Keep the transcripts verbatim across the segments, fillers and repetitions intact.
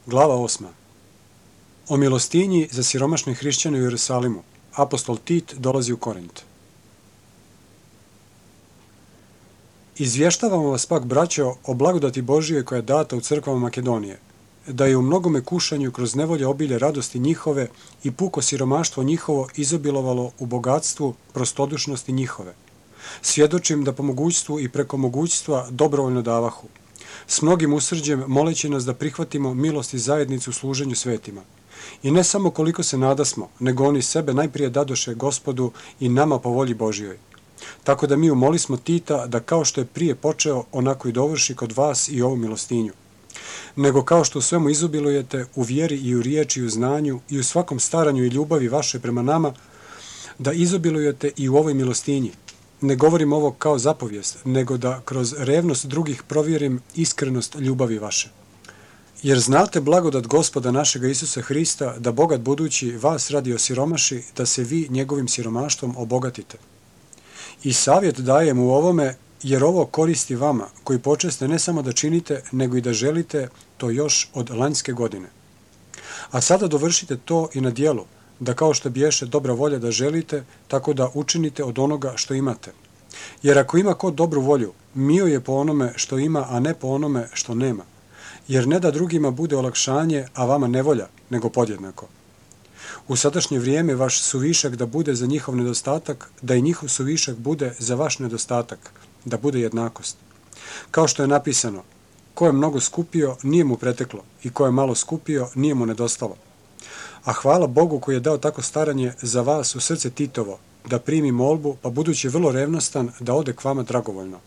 Glava osma. O milostinji za siromašne hrišćane u Jerusalimu. Apostol Tit dolazi u Korint. Izvještavamo vas pak, braćo, o blagodati Božije koja je data u crkvama Makedonije, da je u mnogome kušanju kroz nevolje obilje radosti njihove i puko siromaštvo njihovo izobilovalo u bogatstvu prostodušnosti njihove. Svjedočim da po mogućstvu i preko mogućstva dobrovoljno davahu, s mnogim usrđem moleći nas da prihvatimo milost i zajednicu u služenju svetima. I ne samo koliko se nadasmo, nego oni sebe najprije dadoše Gospodu i nama po volji Božjoj. Tako da mi umolismo Tita da kao što je prije počeo, onako i dovrši kod vas i ovu milostinju. Nego kao što u svemu izobilujete, u vjeri i u riječi i u znanju i u svakom staranju i ljubavi vaše prema nama, da izobilujete i u ovoj milostinji. Ne govorim ovo kao zapovijest, nego da kroz revnost drugih provjerim iskrenost ljubavi vaše. Jer znate blagodat Gospoda našega Isusa Hrista, da bogat budući vas radi osiromaši, da se vi njegovim siromaštvom obogatite. I savjet dajem u ovome, jer ovo koristi vama, koji počeste ne samo da činite, nego i da želite to još od lanjske godine. A sada dovršite to i na djelu, da kao što biješe dobra volja da želite, tako da učinite od onoga što imate. Jer ako ima ko dobru volju, mio je po onome što ima, a ne po onome što nema. Jer ne da drugima bude olakšanje, a vama nevolja, nego podjednako. U sadašnje vrijeme vaš suvišak da bude za njihov nedostatak, da i njihov suvišak bude za vaš nedostatak, da bude jednakost. Kao što je napisano, ko je mnogo skupio, nije mu preteklo, i ko je malo skupio, nije mu nedostalo. A hvala Bogu koji je dao tako staranje za vas u srce Titovo, da primi molbu, pa budući vrlo revnostan, da ode k vama dragovoljno.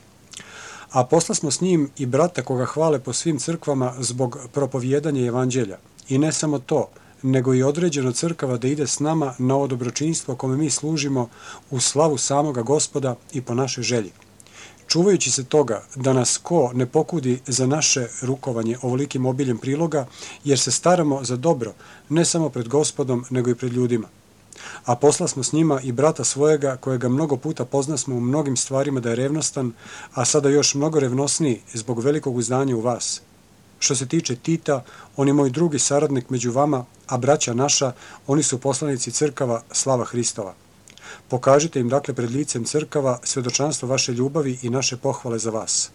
A posla smo s njim i brata koga hvale po svim crkvama zbog propovjedanja evanđelja. I ne samo to, nego i određeno crkava da ide s nama na ovo dobročinstvo kome mi služimo u slavu samoga Gospoda i po našoj želji. Čuvajući se toga da nas ko ne pokudi za naše rukovanje ovolikim obiljem priloga, jer se staramo za dobro, ne samo pred Gospodom, nego i pred ljudima. A posla smo s njima i brata svojega, kojega mnogo puta poznasmo u mnogim stvarima da je revnostan, a sada još mnogo revnosniji zbog velikog uzdanja u vas. Što se tiče Tita, on je moj drugi saradnik među vama, a braća naša, oni su poslanici crkava slava Hristova. Pokažite im dakle pred licem crkava svjedočanstvo vaše ljubavi i naše pohvale za vas.